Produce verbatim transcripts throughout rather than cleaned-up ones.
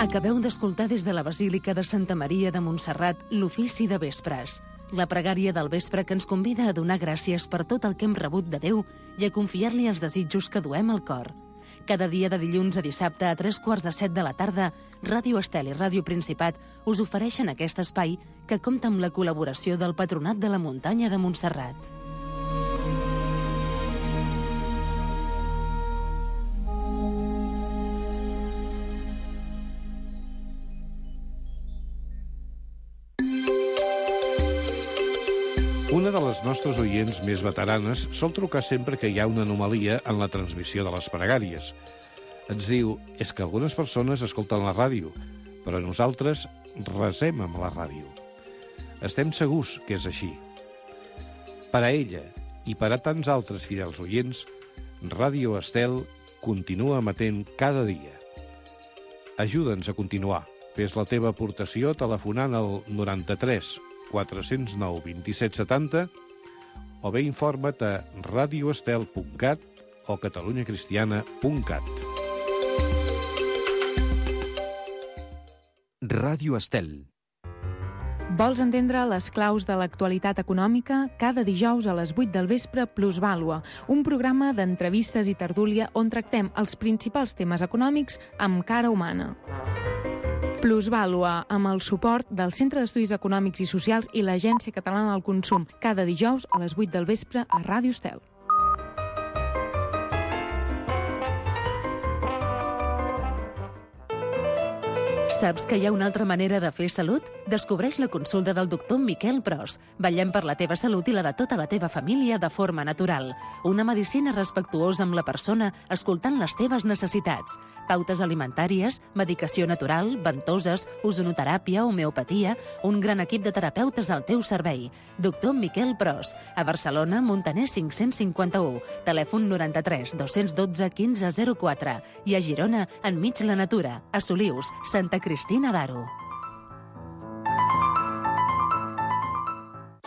Acabeu d'escoltar des de la Basílica de Santa Maria de Montserrat l'ofici de vespres, la pregària del vespre que ens convida a donar gràcies per tot el que hem rebut de Déu i a confiar-li els desitjos que duem al cor. Cada dia de dilluns a dissabte a tres quarts de set de la tarda, Ràdio Estel i Ràdio Principat us ofereixen aquest espai que compta amb la col·laboració del Patronat de la Muntanya de Montserrat. Una de les nostres oients més veteranes sol trucar sempre que hi ha una anomalia en la transmissió de les pregàries. Ens diu, és que algunes persones escolten la ràdio, però nosaltres resem amb la ràdio. Estem segurs que és així. Per a ella i per a tants altres fidels oients, Ràdio Estel continua emetent cada dia. Ajuda'ns a continuar. Fes la teva aportació telefonant al noranta-tres quatre-cents nou vint-i-set setanta o bé informa't a radioestel punt cat o catalunyacristiana punt cat. Ràdio Estel. Vols entendre les claus de l'actualitat econòmica? Cada dijous a les vuit del vespre, Plusvàlua, un programa d'entrevistes i tertúlia on tractem els principals temes econòmics amb cara humana. Plusvàlua, amb el suport del Centre d'Estudis Econòmics i Socials i l'Agència Catalana del Consum, cada dijous a les vuit del vespre a Ràdio Estel. Saps que hi ha una altra manera de fer salut? Descobreix la consulta del doctor Miquel Pros. Vetllem per la teva salut i la de tota la teva família de forma natural. Una medicina respectuosa amb la persona, escoltant les teves necessitats. Pautes alimentàries, medicació natural, ventoses, ozonoteràpia, homeopatia, un gran equip de terapeutes al teu servei. Doctor Miquel Pros. A Barcelona, Montaner cinc-cents cinquanta-u. Telèfon noranta-tres dos-cents dotze quinze zero quatre. I a Girona, enmig la natura. A Solius, Santa Cristina d'Aro.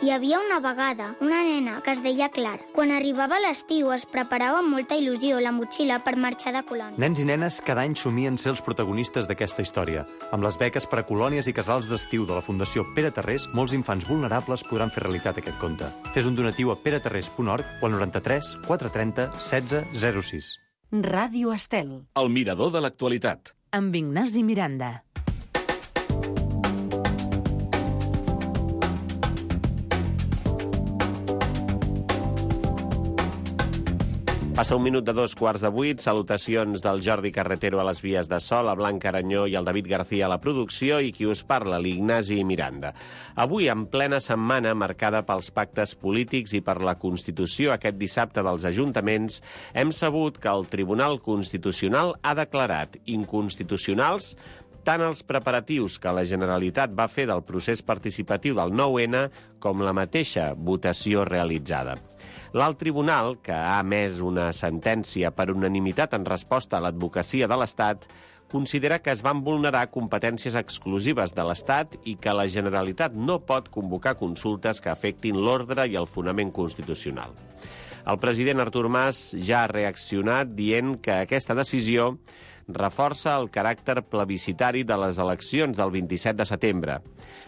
Hi havia una vegada una nena que es deia Clara. Quan arribava l'estiu es preparava amb molta il·lusió la motxilla per marxar de colònia. Nens i nenes cada any somien ser els protagonistes d'aquesta història. Amb les beques per a colònies i casals d'estiu de la Fundació Pere Tarrés, molts infants vulnerables podran fer realitat aquest conte. Fes un donatiu a peratarrés punt org o al noranta-tres quatre-trenta setze zero sis. Ràdio Estel. El mirador de l'actualitat. Amb Ignasi Miranda. Passa un minut de dos quarts de vuit. Salutacions del Jordi Carretero a les vies de so, la Blanca Aranyó i el David García a la producció i qui us parla, l'Ignasi Miranda. Avui, en plena setmana marcada pels pactes polítics i per la Constitució aquest dissabte dels ajuntaments, hem sabut que el Tribunal Constitucional ha declarat inconstitucionals tant els preparatius que la Generalitat va fer del procés participatiu del nou ene com la mateixa votació realitzada. L'alt tribunal, que ha emès una sentència per unanimitat en resposta a l'advocacia de l'Estat, considera que es van vulnerar competències exclusives de l'Estat i que la Generalitat no pot convocar consultes que afectin l'ordre i el fonament constitucional. El president Artur Mas ja ha reaccionat dient que aquesta decisió reforça el caràcter plebiscitari de les eleccions del vint-i-set de setembre.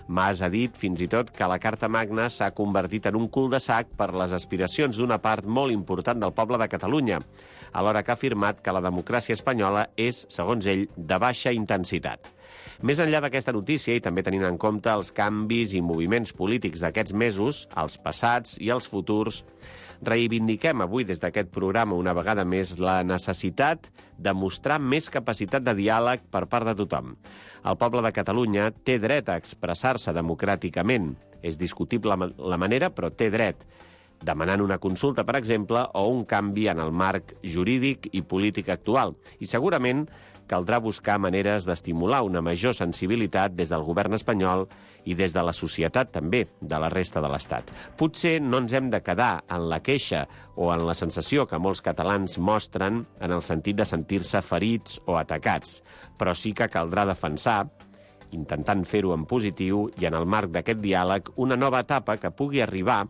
Mas ha dit fins i tot que la Carta Magna s'ha convertit en un cul de sac per les aspiracions d'una part molt important del poble de Catalunya, alhora que ha afirmat que la democràcia espanyola és, segons ell, de baixa intensitat. Més enllà d'aquesta notícia, i també tenint en compte els canvis i moviments polítics d'aquests mesos, els passats i els futurs, reivindiquem avui des d'aquest programa una vegada més la necessitat de mostrar més capacitat de diàleg per part de tothom. El poble de Catalunya té dret a expressar-se democràticament. És discutible la manera, però té dret, demanant una consulta, per exemple, o un canvi en el marc jurídic i polític actual. I segurament caldrà buscar maneres d'estimular una major sensibilitat des del govern espanyol i des de la societat també, de la resta de l'Estat. Potser no ens hem de quedar en la queixa o en la sensació que molts catalans mostren en el sentit de sentir-se ferits o atacats, però sí que caldrà defensar, intentant fer-ho en positiu i en el marc d'aquest diàleg, una nova etapa que pugui arribar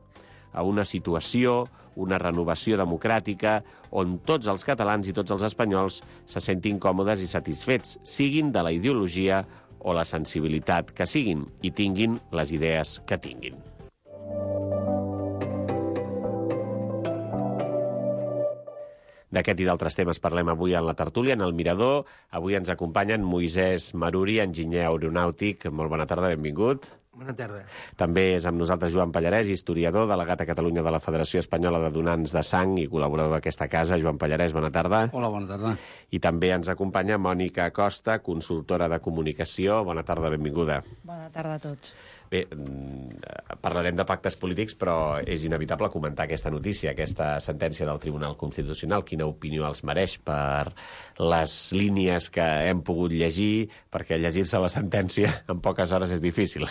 a una situació, una renovació democràtica, on tots els catalans i tots els espanyols se sentin còmodes i satisfets, siguin de la ideologia o la sensibilitat que siguin, i tinguin les idees que tinguin. D'aquest i d'altres temes parlem avui en la tertúlia, en el Mirador. Avui ens acompanyen Moisès Maruri, enginyer aeronàutic. Molt bona tarda, benvingut. Bona tarda. També és amb nosaltres Joan Pallarès, historiador, delegat a Catalunya de la Federació Espanyola de Donants de Sang i col·laborador d'aquesta casa. Joan Pallarès, bona tarda. Hola, bona tarda. I també ens acompanya Mònica Costa, consultora de comunicació. Bona tarda, benvinguda. Bona tarda a tots. Bé, parlarem de pactes polítics, però és inevitable comentar aquesta notícia, aquesta sentència del Tribunal Constitucional. Quina opinió els mereix per les línies que hem pogut llegir, perquè llegir-se la sentència en poques hores és difícil.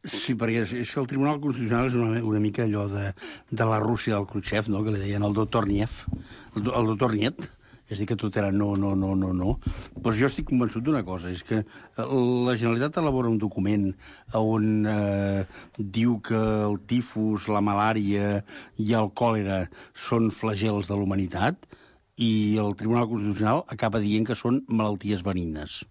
Sí, perquè és que el Tribunal Constitucional és una, una mica allò de, de la Rússia del Khrushchev, no?, que li deien el doctor Niev, el, el doctor Niet. És a dir, que tot era no, no, no, no, no. Però jo estic convençut d'una cosa, és que la Generalitat elabora un document on eh, diu que el tifus, la malària i el còlera són flagels de la humanitat, i el Tribunal Constitucional acaba dient que són malalties benignes.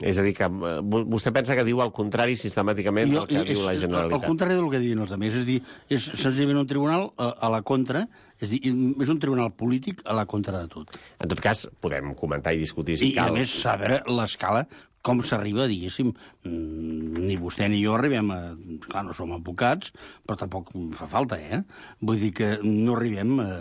És a dir, que vostè pensa que diu el contrari sistemàticament del que diu la Generalitat. El contrari del que diuen els altres. És a dir, és senzillament un tribunal a, a la contra, és a dir, és un tribunal polític a la contra de tot. En tot cas, podem comentar i discutir si I, cal. I a més, saber l'escala, com s'arriba, diguéssim, ni vostè ni jo arribem a... Clar, no som advocats, però tampoc fa falta, eh? Vull dir que no arribem a...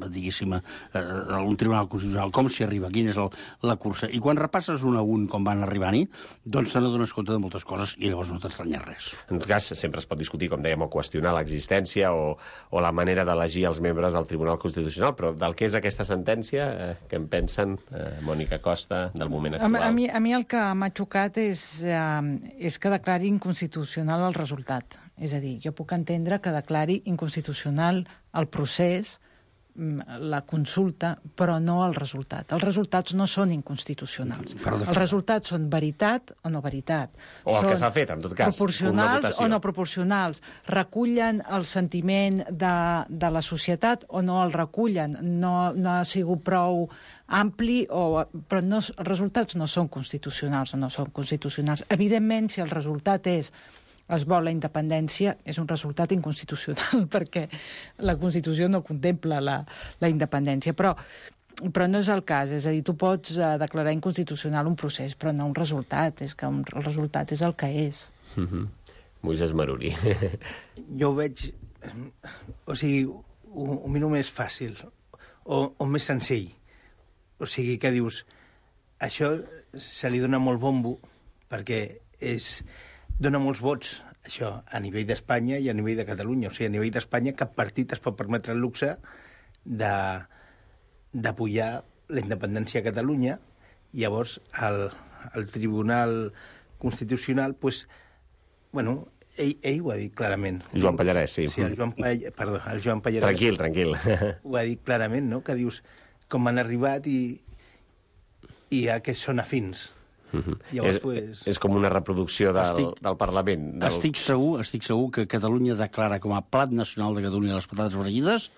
diguéssim, a, a un tribunal constitucional, com s'hi arriba, quina és el, la cursa. I quan repasses un a un com van arribar-hi, doncs te n'adones compte de moltes coses i llavors no t'estranyes res. En tot cas, sempre es pot discutir, com dèiem, o qüestionar l'existència o, o la manera d'elegir els membres del Tribunal Constitucional, però del que és aquesta sentència, eh, què en pensen, eh, Mònica Costa, del moment actual? A, a, mi, a mi el que m'ha xocat és, eh, és que declari inconstitucional el resultat. És a dir, jo puc entendre que declari inconstitucional el procés, la consulta, però no el resultat. Els resultats no són inconstitucionals. Els resultats són veritat o no veritat. O el que s'ha fet, en tot cas. Proporcionals o no proporcionals. Recullen el sentiment de, de la societat o no el recullen. No, no ha sigut prou ampli, o, però no, els resultats no són constitucionals o no són constitucionals. Evidentment, si el resultat és es vol la independència, és un resultat inconstitucional, perquè la Constitució no contempla la, la independència. Però, però no és el cas. És a dir, tu pots uh, declarar inconstitucional un procés, però no un resultat. És que un, el resultat és el que és. Mm-hmm. Moisès Maruri. Jo ho veig... O sigui, ho, ho miro més fàcil, o, o més senzill. O sigui, que dius... Això se li dona molt bombo, perquè és... dona molts vots, això, a nivell d'Espanya i a nivell de Catalunya. O sigui, a nivell d'Espanya cap partit es pot permetre el luxe d'apoyar la independència a Catalunya. Llavors, el, el Tribunal Constitucional, pues, bueno, ell, ell ho ha dit clarament. Joan Pallarès, sí. Sí, el Joan, perdó, el Joan Pallarès. Tranquil, tranquil. Ho ha dit clarament, no?, que dius com han arribat i, i a què són afins. Uh-huh. Llavors, és, pues... és com una reproducció del, estic, del Parlament. Del... Estic segur, estic segur que Catalunya declara com a plat nacional de Catalunya les patates fregides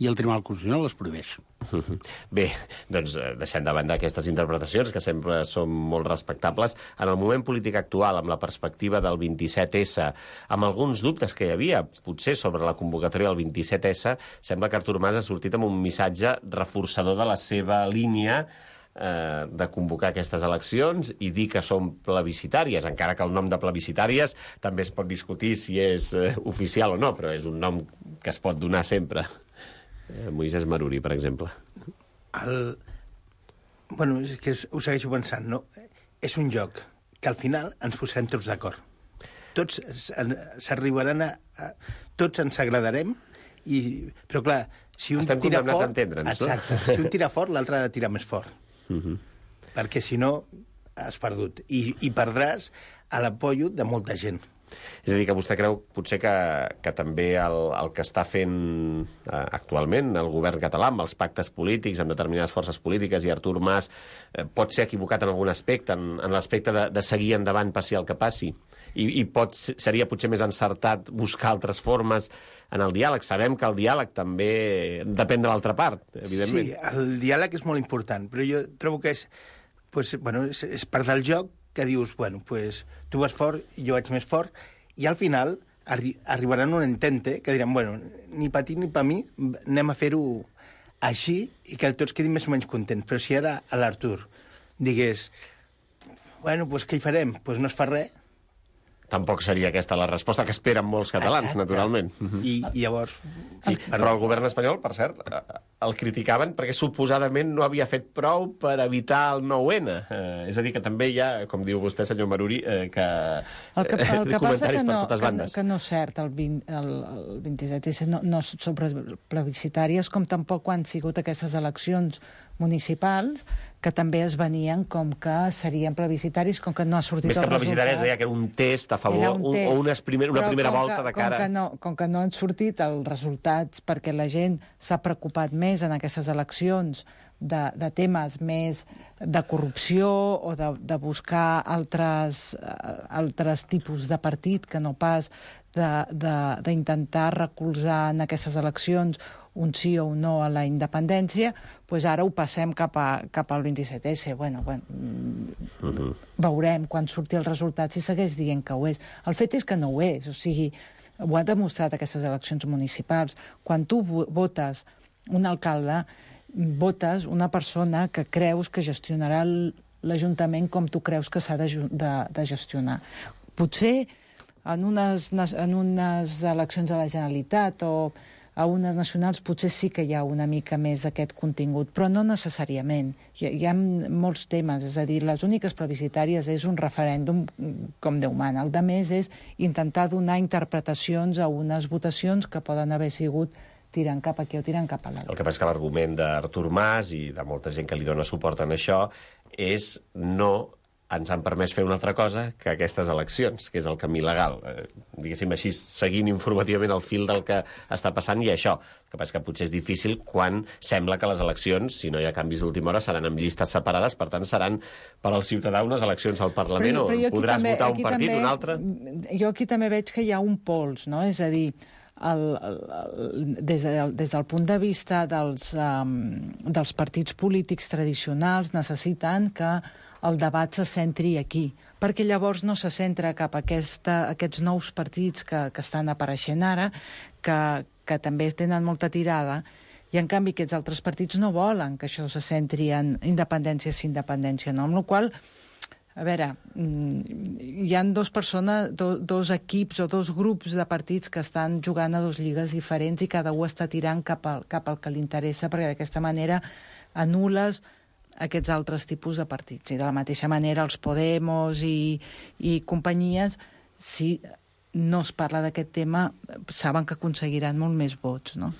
i el Tribunal Constitucional les prohibeix. Uh-huh. Bé, doncs deixem de banda aquestes interpretacions, que sempre són molt respectables. En el moment polític actual, amb la perspectiva del vint-i-set essa, amb alguns dubtes que hi havia, potser sobre la convocatòria del vint-i-set essa, sembla que Artur Mas ha sortit amb un missatge reforçador de la seva línia eh, de convocar aquestes eleccions i dir que són plebiscitàries, encara que el nom de plebiscitàries també es pot discutir si és eh, oficial o no, però és un nom que es pot donar sempre. Eh, Moisès Maruri, per exemple. El... Bueno, és que ho segueixo pensant, no? És un joc que al final ens posarem tots d'acord. Tots s'arribaran a, a... Tots ens agradarem, i... però clar, si un Estem tira fort... a entendre'ns, exacte, no? si un tira fort, l'altre ha de tirar més fort. Uh-huh. Perquè si no, has perdut. I, i perdràs a l'apoyo de molta gent. És a dir, que vostè creu potser que, que també el, el que està fent eh, actualment el govern català amb els pactes polítics, amb determinades forces polítiques, i Artur Mas eh, pot ser equivocat en algun aspecte, en, en l'aspecte de, de seguir endavant passi el que passi, i, i pot, seria potser més encertat buscar altres formes en el diàleg. Sabem que el diàleg també depèn de l'altra part, evidentment. Sí, el diàleg és molt important, però jo trobo que és, pues, bueno, és, és part del joc que dius, bueno, pues, tu vas fort, jo vaig més fort, i al final arri arribaran un entente que diran, bueno, ni per ti ni per mi, anem a fer-ho així i que tots quedin més o menys contents. Però si ara a l'Artur digués, bueno, pues què hi farem? Pues no es fa res. Tampoc seria aquesta la resposta que esperen molts catalans, naturalment. I, i llavors... Sí, però el govern espanyol, per cert, el criticaven perquè suposadament no havia fet prou per evitar el nou ene. Eh, és a dir, que també hi ha, com diu vostè, senyor Maruri, eh, que, el que, el que comentaris que no, per totes bandes. Que, que no és cert, el, vint, el, el vint-i-set esse no, no són plebiscitàries, com tampoc quan han sigut aquestes eleccions municipals, que també es venien com que serien plebiscitaris, com que no ha sortit el resultat. Més que plebiscitaris deia que era un test a favor, un test. o unes primer, una Però primera volta que, de cara... Com que, no, com que no han sortit els resultats perquè la gent s'ha preocupat més en aquestes eleccions de, de temes més de corrupció o de, de buscar altres, uh, altres tipus de partit que no pas d'intentar recolzar en aquestes eleccions un sí o un no a la independència, doncs ara ho passem cap, a, cap al vint-i-set esse. Bueno, bueno, uh-huh. Veurem quan surti el resultat si segueix dient que ho és. El fet és que no ho és, o sigui, ho ha demostrat aquestes eleccions municipals. Quan tu votes un alcalde, votes una persona que creus que gestionarà l'Ajuntament com tu creus que s'ha de, de, de gestionar. Potser en unes, en unes eleccions a la Generalitat o a unes nacionals potser sí que hi ha una mica més d'aquest contingut, però no necessàriament. Hi, hi ha molts temes, és a dir, les úniques plebiscitàries és un referèndum com Déu mana. El de més és intentar donar interpretacions a unes votacions que poden haver sigut tirant cap aquí o tirant cap a l'altre. El que passa és que l'argument d'Artur Mas i de molta gent que li dona suport en això és no ens han permès fer una altra cosa que aquestes eleccions, que és el camí legal. Eh, diguéssim així, seguint informativament el fil del que està passant, i això. El que passa és que potser és difícil quan sembla que les eleccions, si no hi ha canvis d'última hora, seran amb llistes separades, per tant seran per al ciutadà unes eleccions al Parlament, però, però on podràs també, votar un partit, també, un altre. Jo aquí també veig que hi ha un pols, no? És a dir, el, el, el, des, de, des del punt de vista dels, um, dels partits polítics tradicionals necessiten que el debat se centri aquí, perquè llavors no se centra cap a aquesta, aquests nous partits que, que estan apareixent ara, que, que també tenen molta tirada, i en canvi aquests altres partits no volen que això se centri en independència sí independència no, amb la qual cosa, a veure, hi ha dos persones, do, dos equips o dos grups de partits que estan jugant a dos lligues diferents i cada un està tirant cap al, cap al que li interessa, perquè d'aquesta manera anul·les aquests altres tipus de partits. I de la mateixa manera els Podemos i, i companyies, si no es parla d'aquest tema, saben que aconseguiran molt més vots, no?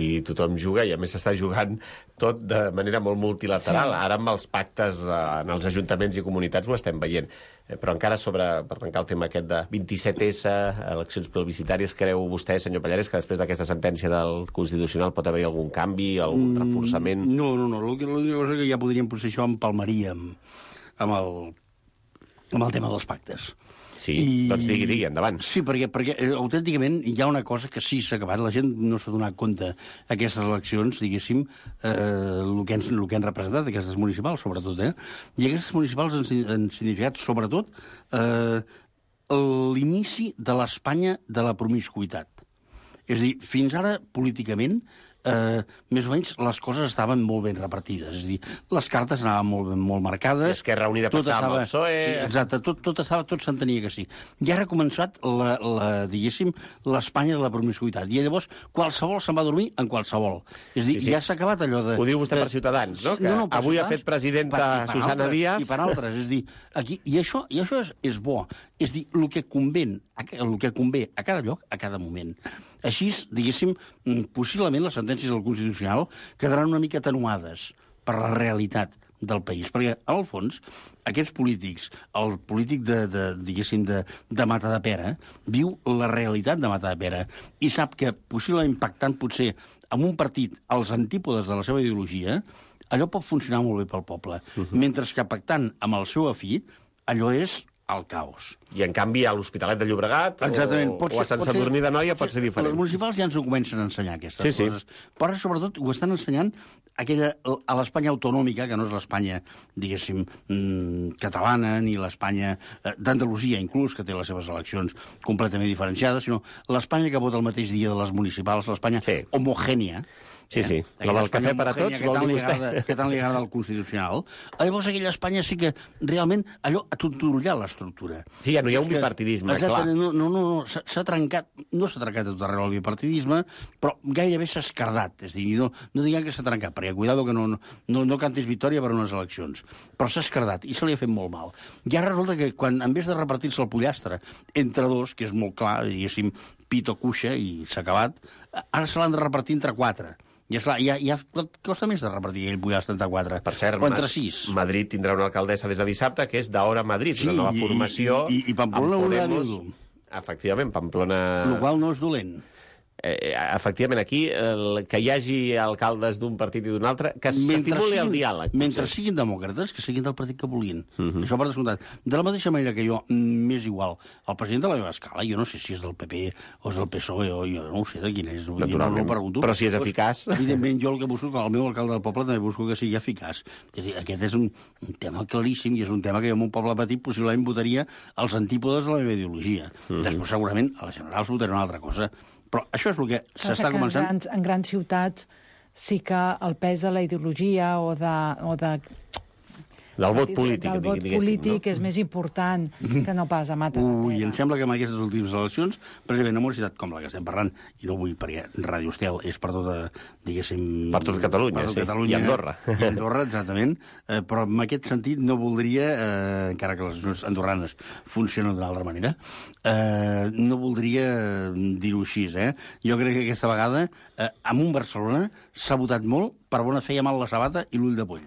I tothom juga, i a més s'està jugant tot de manera molt multilateral. Sí. Ara amb els pactes en els ajuntaments i comunitats ho estem veient. Però encara sobre, per tancar el tema aquest de vint-i-set esse, eleccions plebiscitàries, creu vostè, senyor Pallares, que després d'aquesta sentència del Constitucional pot haver-hi algun canvi, algun reforçament? No, no, no. L'única cosa que ja podríem potser això empalmaria amb, amb, el, amb el tema dels pactes. Sí, I... doncs digui, digui, endavant. Sí, perquè, perquè eh, autènticament hi ha una cosa que sí s'ha acabat. La gent no s'ha donat compte aquestes eleccions, diguéssim, eh, el, que han, el que han representat, aquestes municipals, sobretot, eh? I aquestes municipals han, han significat, sobretot, eh, l'inici de l'Espanya de la promiscuitat. És a dir, fins ara, políticament, eh, més o menys les coses estaven molt ben repartides. És a dir, les cartes anaven molt, molt marcades. I Esquerra Unida pactava amb el P S O E... Sí, exacte, tot, tot, estava, tot s'entenia que sí. I ara ha començat, la, la, diguéssim, l'Espanya de la promiscuitat. I llavors qualsevol se'n va dormir en qualsevol. És a dir, sí, sí. Ja s'ha acabat allò de... Ho diu vostè de... per Ciutadans, no? Que no, no, avui ha fet presidenta per, per Susana altres, Díaz. I per altres. És a dir, aquí, i això, i això és, és bo. És a dir, el que convé, el que convé a cada lloc, a cada moment. Així, diguéssim, possiblement les sentències del Constitucional quedaran una mica atenuades per la realitat del país. Perquè, al fons, aquests polítics, el polític de, de diguéssim, de, de Matadepera, viu la realitat de Matadepera i sap que, possiblement pactant potser amb un partit als antípodes de la seva ideologia, allò pot funcionar molt bé pel poble. Uh-huh. Mentre que pactant amb el seu afí, allò és el caos. I, en canvi, a l'Hospitalet de Llobregat Exactament. o, Pot o a ser, Sant pot Sadurní ser, d'Anoia pot ser diferent. Els municipals ja ens ho comencen a ensenyar, aquestes sí, coses. Sí. Però ara, sobretot, ho estan ensenyant aquella, a l'Espanya autonòmica, que no és l'Espanya, diguéssim, mmm, catalana, ni l'Espanya eh, d'Andalusia, inclús, que té les seves eleccions completament diferenciades, sinó l'Espanya que vota el mateix dia de les municipals, l'Espanya sí. homogènia. Sí, sí. Eh? La del cafè per a tots, vol dir vostè. Agrada, que tant li agrada al Constitucional. Llavors, aquella Espanya sí que realment allò ha tontorollat l'estructura. Sí, ja no hi ha un bipartidisme, clar. No, no, no, no s'ha trencat, no s'ha trencat tot arreu el bipartidisme, però gairebé s'ha escardat. És a dir, no, no diguem que s'ha trencat, perquè cuidado que no, no, no cantis victòria per unes eleccions. Però s'ha escardat i se li ha fet molt mal. Ja resulta que quan, en vez de repartir-se el pollastre entre dos, que és molt clar, diguéssim, pit o cuixa i s'ha acabat, ara se l'han de repartir entre quatre. I esclar, ja, ja costa més de repartir aquell pollastre entre quatre. Per cert, o entre sis. Madrid tindrà una alcaldessa des de dissabte, que és d'Hora Madrid, sí, una nova formació. I, i, i Pamplona ho ha dit. Efectivament, Pamplona... El qual no és dolent. Eh, efectivament, aquí, el, que hi hagi alcaldes d'un partit i d'un altre, que s'estimuli el diàleg. Mentre siguin demòcrates, que siguin del partit que vulguin. Uh -huh. Això per descomptat. De la mateixa manera que jo, m'és igual, el president de la meva escala, jo no sé si és del P P o és del P S O E, o jo no ho sé de quin és, no, no ho pregunto. Però si és eficaç... Pues, evidentment, jo el que busco, el meu alcalde del poble, també busco que sigui eficaç. És a dir, aquest és un, un tema claríssim i és un tema que jo en un poble petit possiblement votaria als antípodes de la meva ideologia. Uh -huh. Després, segurament, a les generals votaré una altra cosa. Però això és el que s'està començant... En grans, en grans ciutats sí que el pes de la ideologia o de... O de del vot polític, del vot polític no? és més important que no pas a Matadepera. Ui, em sembla que en aquestes últimes eleccions, precisament en una ciutat com la que estem parlant, i no vull perquè Ràdio Estel és per tota, diguéssim... Per tot Catalunya, per tot sí. Catalunya, i Andorra. I Andorra, exactament. Eh, però en aquest sentit no voldria, eh, encara que les eleccions andorranes funcionen d'una altra manera, eh, no voldria dir-ho així, eh? Jo crec que aquesta vegada, eh, amb un Barcelona, s'ha votat molt per bona fe i mal la sabata i l'ull de poll.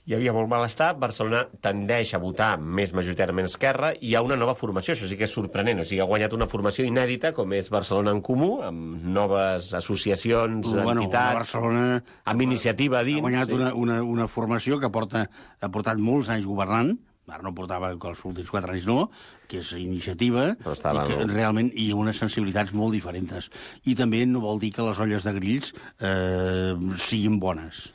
Hi havia molt malestar, Barcelona tendeix a votar més majoritàriament esquerra i hi ha una nova formació, això sí que és sorprenent, o sigui, ha guanyat una formació inèdita com és Barcelona en Comú, amb noves associacions, bueno, entitats, Barcelona amb iniciativa a dins. Ha guanyat sí. una, una, una formació que porta, ha portat molts anys governant, ara no portava els últims quatre anys no, que és iniciativa, estava, i que no? realment hi ha unes sensibilitats molt diferents. I també no vol dir que les olles de grills eh, siguin bones.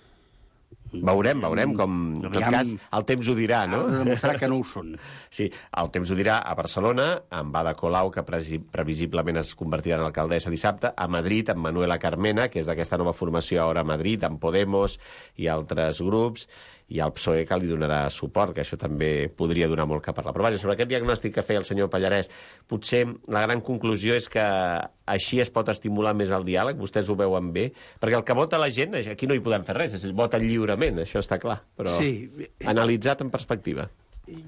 Veurem, veurem, com en tot cas el temps ho dirà, no? Ha de demostrar que no ho són. Sí, el temps ho dirà a Barcelona, amb Ada Colau, que previsiblement es convertirà en alcaldessa dissabte, a Madrid, amb Manuela Carmena, que és d'aquesta nova formació ara a Madrid, amb Podemos i altres grups, i al P S O E que li donarà suport, que això també podria donar molt que parlar. Però vaja, sobre aquest diagnòstic que feia el senyor Pallarès, potser la gran conclusió és que així es pot estimular més el diàleg, vostès ho veuen bé, perquè el que vota la gent, aquí no hi podem fer res, és voten lliurement, això està clar, però sí. Analitzat en perspectiva.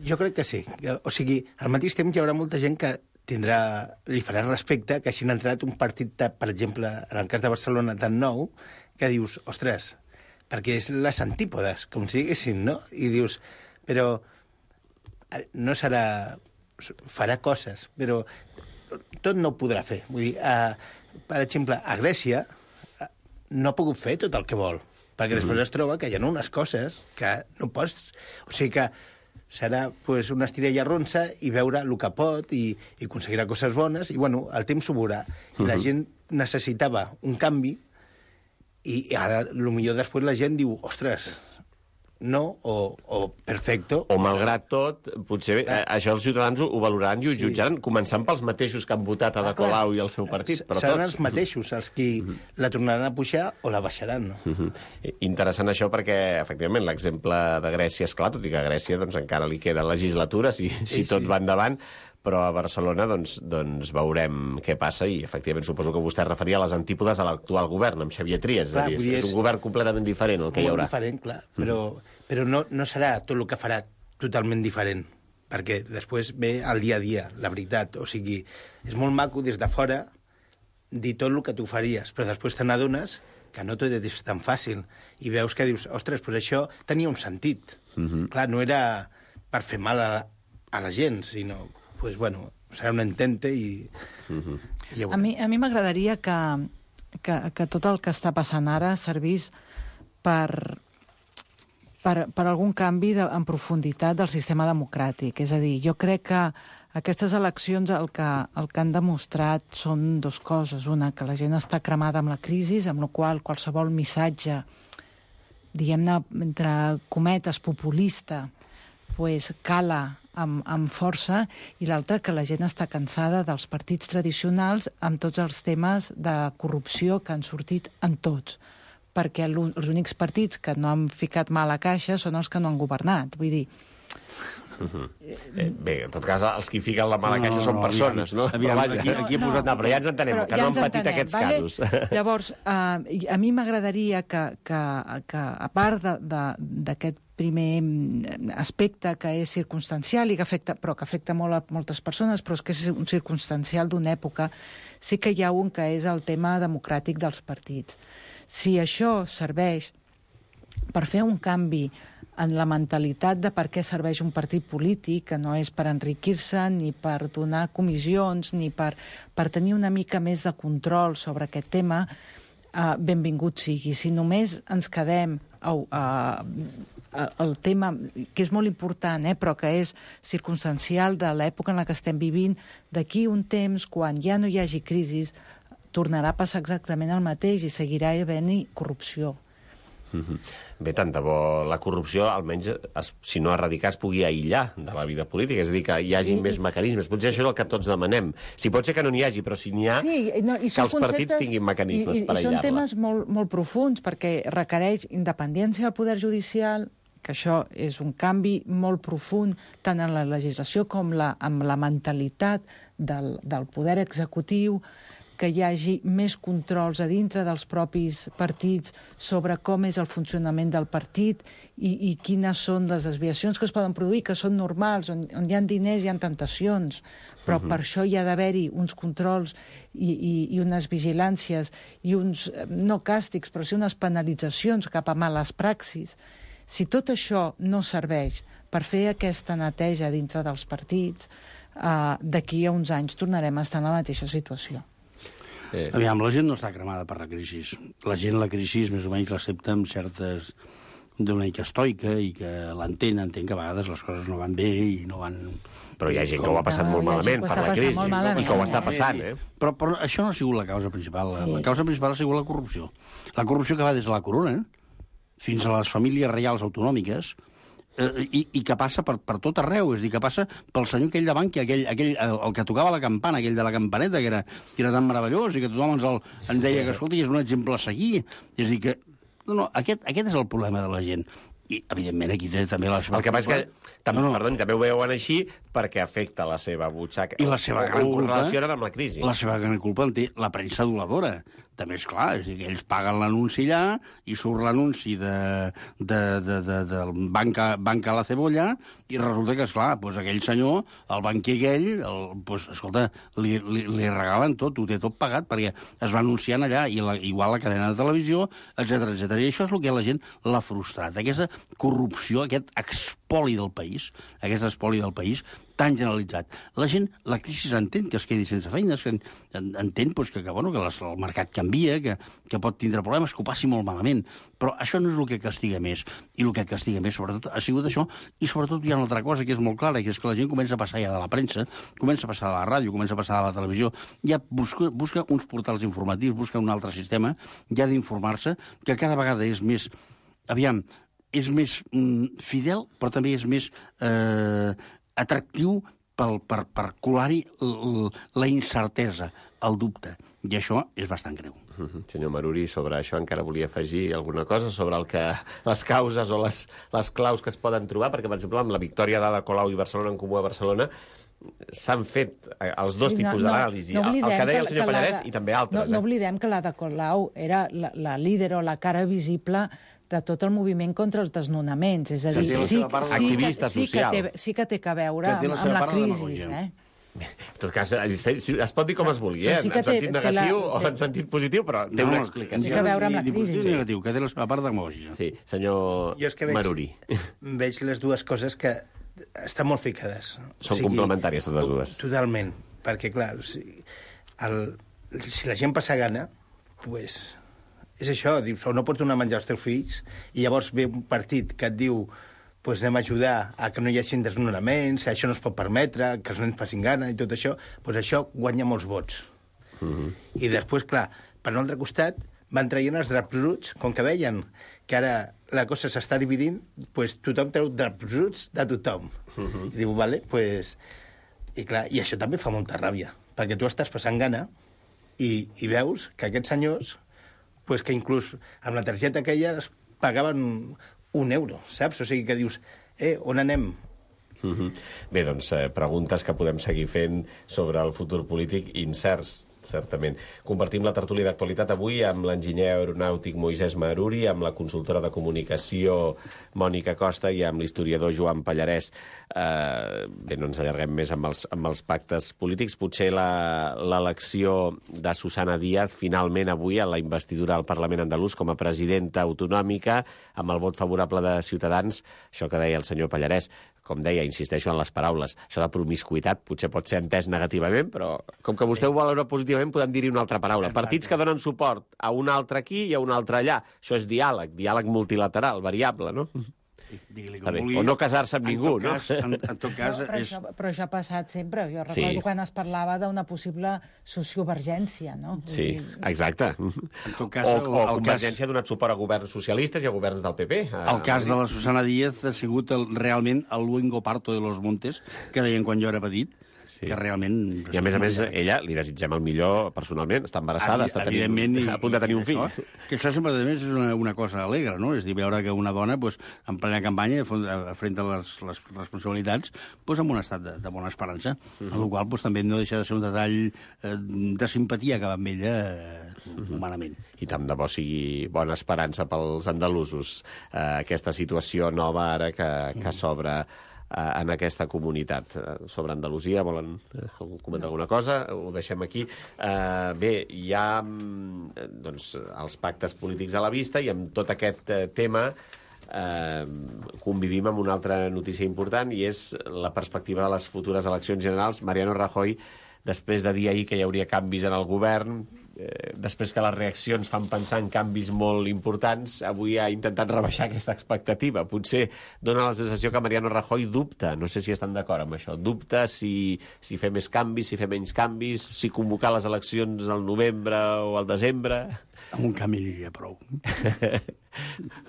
Jo crec que sí. O sigui, al mateix temps hi haurà molta gent que tindrà, li farà respecte que hagin entrat un partit, de, per exemple, en el cas de Barcelona, tan nou, que dius, ostres, perquè és les antípodes, com si diguessin, no? I dius, però no serà... farà coses, però tot no ho podrà fer. Vull dir, a, per exemple, a Grècia no ha pogut fer tot el que vol, perquè després mm-hmm. es troba que hi ha unes coses que no pots... O sigui que serà pues, una estirella ronsa i veure el que pot i, i aconseguirà coses bones, i bueno, el temps s'ho veurà. I mm-hmm. la gent necessitava un canvi i ara, potser després la gent diu, ostres, no, o, o perfecto. O malgrat tot, potser eh, això els ciutadans ho, ho valoraran i ho sí. jutjaran, començant pels mateixos que han votat a Ada Colau i el seu partit. Però seran tots. Els mateixos els que mm-hmm. la tornaran a pujar o la baixaran. No? Mm-hmm. Interessant això perquè, efectivament, l'exemple de Grècia és clar, tot i que a Grècia doncs, encara li queda legislatura, si, si sí, tot sí. va endavant, però a Barcelona doncs, doncs veurem què passa i, efectivament, suposo que vostè es referia a les antípodes a l'actual govern, amb Xavier Trias. Clar, és, a dir, és, és un govern completament diferent el que hi haurà. Molt diferent, clar, però, mm. però no, no serà tot el que farà totalment diferent, perquè després ve el dia a dia, la veritat. O sigui, és molt maco des de fora dir tot el que tu faries, però després te n'adones que no tot és tan fàcil. I veus que dius, ostres, doncs això tenia un sentit. Uh-huh. Clar, no era per fer mal a, a la gent, sinó, pues, bueno, serà un entente i... Uh-huh. i a mi a mi m'agradaria que, que, que tot el que està passant ara servís per, per, per algun canvi de, en profunditat del sistema democràtic. És a dir, jo crec que aquestes eleccions el que, el que han demostrat són dues coses. Una, que la gent està cremada amb la crisi, amb la qual qualsevol missatge, diguem-ne, entre cometes, populista, pues, cala amb, amb força, i l'altra, que la gent està cansada dels partits tradicionals amb tots els temes de corrupció que han sortit en tots. Perquè els únics partits que no han ficat mà a la caixa són els que no han governat. Vull dir... Uh-huh. eh, bé, en tot cas, els que fiquen la mala caixa no, no, són persones, no? Aviam, aviam, aquí, aquí no, posat... no, però ja ens entenem, però que ja no han patit entenem, aquests vale? casos. Llavors, uh, a mi m'agradaria que, que, que, a part d'aquest primer aspecte que és circumstancial, i que afecta, però que afecta molt a moltes persones, però és que és un circumstancial d'una època, sí que hi ha un que és el tema democràtic dels partits. Si això serveix per fer un canvi en la mentalitat de per què serveix un partit polític, que no és per enriquir-se, ni per donar comissions, ni per, per tenir una mica més de control sobre aquest tema, eh, benvingut sigui. Si només ens quedem au, eh, el tema, que és molt important, eh, però que és circumstancial de l'època en la que estem vivint, d'aquí un temps, quan ja no hi hagi crisi, tornarà a passar exactament el mateix i seguirà havent-hi corrupció. Mm-hmm. Bé, tant de bo la corrupció, almenys, es, si no erradicar, es pugui aïllar de la vida política, és a dir, que hi hagi sí. més mecanismes. Potser això és el que tots demanem. Si pot ser que no n'hi hagi, però si n'hi ha, sí, no, que els partits tinguin mecanismes i, i, per aïllar-la. I són temes molt, molt profuns, perquè requereix independència del poder judicial, que això és un canvi molt profund, tant en la legislació com la, amb la mentalitat del, del poder executiu, que hi hagi més controls a dintre dels propis partits sobre com és el funcionament del partit i, i quines són les desviacions que es poden produir, que són normals, on, on hi ha diners hi ha tentacions, però uh-huh. per això hi ha d'haver-hi uns controls i, i, i unes vigilàncies i uns, no càstigs, però sí unes penalitzacions cap a males praxis. Si tot això no serveix per fer aquesta neteja dintre dels partits, eh, d'aquí a uns anys tornarem a estar en la mateixa situació. Eh. Aviam, la gent no està cremada per la crisi. La gent la crisi més o menys l'accepta amb certes d'una mica estoica i que l'entén, entén que a vegades les coses no van bé i no van... Però hi ha gent que ho ha passat no, molt malament per la crisi malament, i que ho està passant, eh? Però, però això no ha sigut la causa principal. Sí. La causa principal ha sigut la corrupció. La corrupció que va des de la corona fins a les famílies reials autonòmiques, I, i que passa per, per tot arreu, és a dir, que passa pel senyor aquell de Bankia, aquell, aquell, el, el que tocava la campana, aquell de la campaneta, que era, que era tan meravellós i que tothom ens, el, ens deia que, escolta, és un exemple a seguir. És a dir, que no, no, aquest, aquest és el problema de la gent. I, evidentment, aquí té també la seva... El que passa és que, tam, no, no. perdoni, també ho veuen així perquè afecta la seva butxaca. I la seva gran culpa... Ho relacionen amb la crisi. La seva gran culpa en té la premsa aduladora. També és clar, és a dir, que ells paguen l'anunci allà i surt l'anunci de, de, de, de, del banca, banca a la cebolla i resulta que, esclar, doncs aquell senyor, el banquer aquell, el, doncs, escolta, li, li, li regalen tot, ho té tot pagat perquè es va anunciant allà, i la, igual la cadena de televisió, etcètera, etcètera. I això és el que la gent l'ha frustrat, aquesta corrupció, aquest expoli del país, aquest expoli del país, tan generalitzat. La gent, la crisi entén que es quedi sense feina, entén pues, que, que, bueno, que les, el mercat canvia, que, que pot tindre problemes, que ho passi molt malament. Però això no és el que castiga més. I el que castiga més, sobretot, ha sigut això. I sobretot hi ha una altra cosa que és molt clara, que és que la gent comença a passar ja de la premsa, comença a passar de la ràdio, comença a passar de la televisió, ja busca, busca uns portals informatius, busca un altre sistema, ja d'informar-se, que cada vegada és més... Aviam, és més mm, fidel, però també és més... Eh, atractiu per, per, per colar-hi la incertesa, el dubte. I això és bastant greu. Uh-huh. Senyor Maruri, sobre això encara volia afegir alguna cosa sobre el que, les causes o les, les claus que es poden trobar, perquè, per exemple, amb la victòria d'Ada Colau i Barcelona en Comú a Barcelona s'han fet els dos sí, tipus no, d'anàlisi, no, no el que deia el senyor que, Pallarès i també altres. No, no oblidem que l'Ada Colau era la, la líder o la cara visible de tot el moviment contra els desnonaments. És a dir, sí, sí, activista sí, social. Que té, sí que té que veure que amb, amb la crisi. Eh? En tot cas, es pot dir com es vulgui, eh? Sí En sentit té, negatiu té la... o en sentit positiu, però té No, una explicació. Té a veure amb la crisi. Sí, negatiu, que té la part demagògica. Sí, senyor Jo és que veig, Maruri. veig les dues coses que estan molt ficades. Són complementàries, totes dues. Totalment, perquè, clar, o sigui, el, si la gent passa gana, pues, és això, dius, o no pots donar menjar als teus fills, i llavors ve un partit que et diu pues anem a ajudar a que no hi hagi desnonaments, això no es pot permetre, que els nens passin gana i tot això, pues això guanya molts vots. Uh-huh. I després, clar, per un altre costat, van traient els draps bruts, com que veien que ara la cosa s'està dividint, pues tothom treu draps bruts de tothom. Uh-huh. I diu, vale, pues... I clar, i això també fa molta ràbia, perquè tu estàs passant gana i, i veus que aquests senyors, pues que inclús amb la targeta aquella es pagaven un euro, saps? O sigui que dius, eh, on anem? Uh-huh. Bé, doncs, eh, preguntes que podem seguir fent sobre el futur polític incerts, certament. Compartim la tertúlia d'actualitat avui amb l'enginyer aeronàutic Moisès Maruri, amb la consultora de comunicació Mònica Costa i amb l'historiador Joan Pallarès. Eh, bé, no ens allarguem més amb els, amb els pactes polítics. Potser l'elecció de Susana Díaz, finalment avui, a la investidura al Parlament andalús com a presidenta autonòmica, amb el vot favorable de Ciutadans, això que deia el senyor Pallarès, com deia, insisteixo en les paraules, això de promiscuitat potser pot ser entès negativament, però com que vostè ho valora positivament, podem dir-hi una altra paraula. Partits que donen suport a un altre aquí i a un altre allà. Això és diàleg, diàleg multilateral, variable, no? Digui-li Està com bé. vulgui. O no casar-se amb En ningú, tot cas, no? En, en tot cas, No, però, és... això, però això ha passat sempre. Jo recordo Sí. quan es parlava d'una possible sociovergència, no? Vull Sí, dir, exacte. En tot cas, O, el- o el Convergència ha donat suport a governs socialistes i a governs del P P. El cas de la Susana Díaz ha sigut el, realment el luengo parto de los montes, que deien quan jo era petit, Sí. que realment... I a més a més, ella, li desitgem el millor personalment, està embarassada, està tenint, Evidentment, i- a punt de tenir un fill. Això, que això sempre, a més, és una, una cosa alegre, no? És dir, veure que una dona, pues, en plena campanya, afrenta les, les responsabilitats pues, amb un estat de, de bona esperança, uh -huh. en la qual pues, també no deixa de ser un detall eh, de simpatia que va amb ella eh, uh -huh. humanament. I tant de bo sigui bona esperança pels andalusos, eh, aquesta situació nova ara que, que s'obre en aquesta comunitat. Sobre Andalusia, volen comentar alguna cosa? Ho deixem aquí. Uh, bé, hi ha doncs, els pactes polítics a la vista i amb tot aquest uh, tema uh, convivim amb una altra notícia important i és la perspectiva de les futures eleccions generals. Mariano Rajoy, després de dir ahir que hi hauria canvis en el govern, eh, després que les reaccions fan pensar en canvis molt importants, avui ha intentat rebaixar aquesta expectativa. Potser dona la sensació que Mariano Rajoy dubta, no sé si estan d'acord amb això, dubta si, si fer més canvis, si fer menys canvis, si convocar les eleccions al novembre o al desembre... Amb un canvi aniria prou.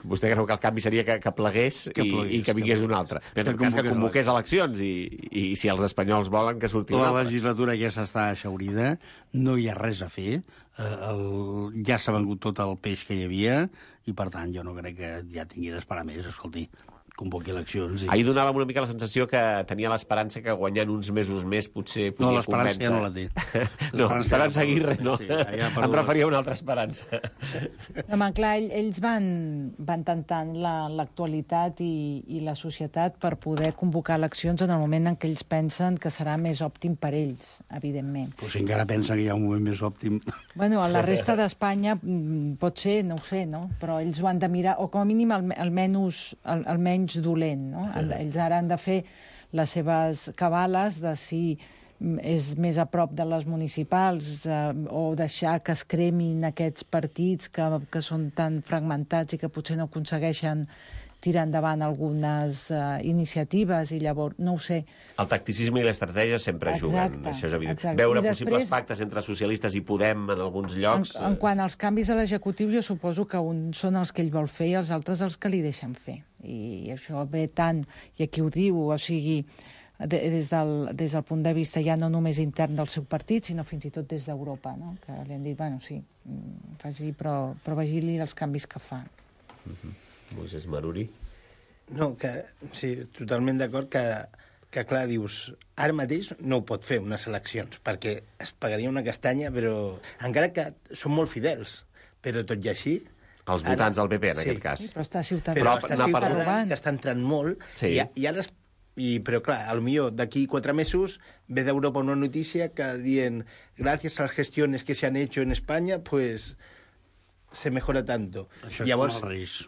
Vostè creu que el canvi seria que, que plegués, que i, plegués, i que vingués un altre. En tot cas, que convoqués eleccions i, i si els espanyols volen que surti un altre. La legislatura ja s'està aixaurida, no hi ha res a fer, eh, el, ja s'ha vengut tot el peix que hi havia i, per tant, jo no crec que ja tingui d'esperar més, escolti. Convoqui eleccions. I... Ahir donàvem una mica la sensació que tenia l'esperança que guanyant uns mesos més potser podia no, l'esperança convèncer... ja no la té. No, l'esperança Aguirre no. Sí, ja em referia a una altra esperança. Home, clar, ells van, van tentant l'actualitat la, i, i la societat per poder convocar eleccions en el moment en què ells pensen que serà més òptim per ells, evidentment. Però si encara pensen que hi ha un moment més òptim... Bueno, a la resta d'Espanya pot ser, no ho sé, no? Però ells ho han de mirar, o com a mínim el, almenys, el, almenys dolent, no? Sí. Ells ara han de fer les seves cabales de si és més a prop de les municipals eh, o deixar que es cremin aquests partits que, que són tan fragmentats i que potser no aconsegueixen tirar endavant algunes uh, iniciatives i llavors, no ho sé. El tacticisme i l'estratègia sempre Exacte, juguen, això és evident. exacte. Veure I possibles després, pactes entre socialistes i Podem en alguns llocs... En, en quant als canvis a l'executiu, jo suposo que uns són els que ell vol fer i els altres els que li deixen fer. I això ve tant, i aquí ho diu, o sigui, de, des, del, des del punt de vista ja no només intern del seu partit, sinó fins i tot des d'Europa, no? Que li han dit, bueno, sí, faci, però, però vigili els canvis que fa. Uh-huh. Moisés Maruri. No, que sí, totalment d'acord que, que, clar, dius, ara mateix no ho pot fer unes eleccions, perquè es pagaria una castanya, però encara que són molt fidels, però tot i així... Els votants ara, del P P, en sí, aquest cas. Sí, però està Ciutadans. Però està està Ciutadans, Ciutadans, que està entrant molt, sí. i, i ara es, I, però, clar, potser d'aquí quatre mesos ve d'Europa una notícia que dient gràcies a les gestiones que se han hecho en Espanya, pues se mejora tanto. Això és Llavors, com els Reis.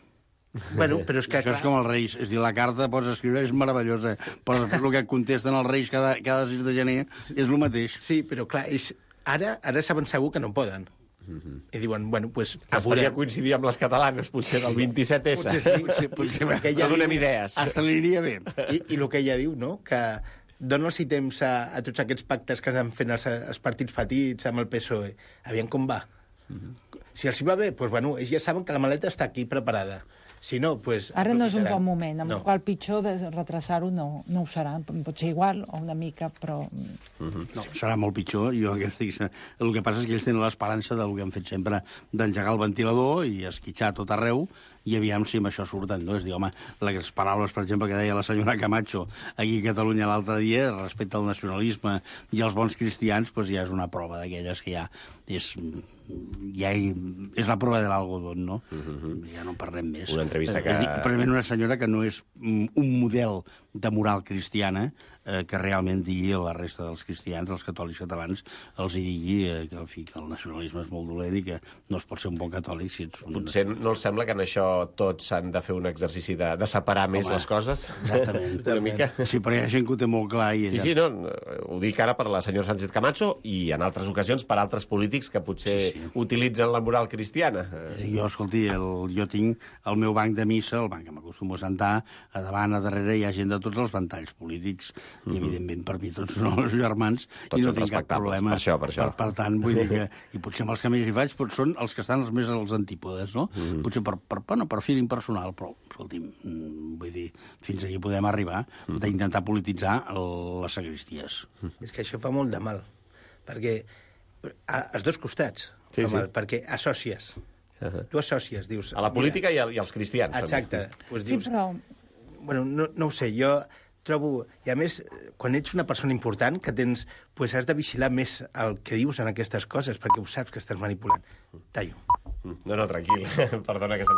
Bueno, però és que... Això és com els Reis. És dir, la carta pots escriure, és meravellosa, però després el que et contesten els Reis cada, cada sis de gener és el mateix. Sí, però clar, és... ara, ara saben segur que no poden. Mm-hmm. I diuen, bueno, doncs... Pues, es faria coincidir amb les catalanes, potser del vint-i-set essa. Potser sí, potser, potser, potser no donem idees. Hasta li aniria bé. I, I el que ella diu, no?, que dona'ls temps a, a tots aquests pactes que s'han fet els, els partits petits amb el P S O E. Aviam com va. Mm-hmm. Si els hi va bé, doncs, bueno, ells ja saben que la maleta està aquí preparada. Si no, pues... Ara no és un bon moment, amb no. el qual pitjor de retrasar-ho no, no ho serà. Pot ser igual o una mica, però... Uh-huh. No, serà molt pitjor. Jo que estic... El que passa és que ells tenen l'esperança del que han fet sempre, d'engegar el ventilador i esquitxar tot arreu, i aviam si amb això surten, no? És dir, home, les paraules, per exemple, que deia la senyora Camacho aquí a Catalunya l'altre dia, respecte al nacionalisme i als bons cristians, doncs ja és una prova d'aquelles que ja és... ja hi, és la prova de l'algodón, no? Uh-huh. Ja no en parlem més. Una entrevista que... Precisament una senyora que no és un model de moral cristiana, eh, que realment digui a la resta dels cristians, dels catòlics catalans, els hi digui eh, que, en fi, que el nacionalisme és molt dolent i que no es pot ser un bon catòlic si ets un... Potser no els sembla que en això tots s'han de fer un exercici de, de separar més Home, les coses? Exactament. Una mica. Sí, però hi ha gent que ho té molt clar. I sí, sí, no, ho dic ara per la senyora Sánchez Camacho i en altres ocasions per altres polítics que potser sí, sí. utilitzen la moral cristiana. Jo, escolti, el, jo tinc el meu banc de missa, el banc que m'acostumo a sentar, a davant, a darrere, hi ha gent de tots els ventalls polítics, i evidentment per mi tots són els germans, tots i no tinc cap problema. Per això, per això. Per, per tant, vull dir que, i potser amb els que més hi faig, potser són els que estan els més als antípodes, no? Mm -hmm. Potser per, per, bueno, per feeling personal, però, escolti'm, vull dir, fins aquí podem arribar mm -hmm. d'intentar polititzar el, les sagristies. Mm -hmm. És que això fa molt de mal, perquè a, als dos costats sí, fa sí. mal, perquè associes. Uh-huh. Tu associes, dius... A la política mira, i, a, i als cristians. Exacte. Pues dius, sí, però... Bueno, no, no ho sé, jo trobo... I a més, quan ets una persona important, que tens... Pues has de vigilar més el que dius en aquestes coses, perquè ho saps que estàs manipulant. Tallo. No, no, tranquil. Perdona que se'ns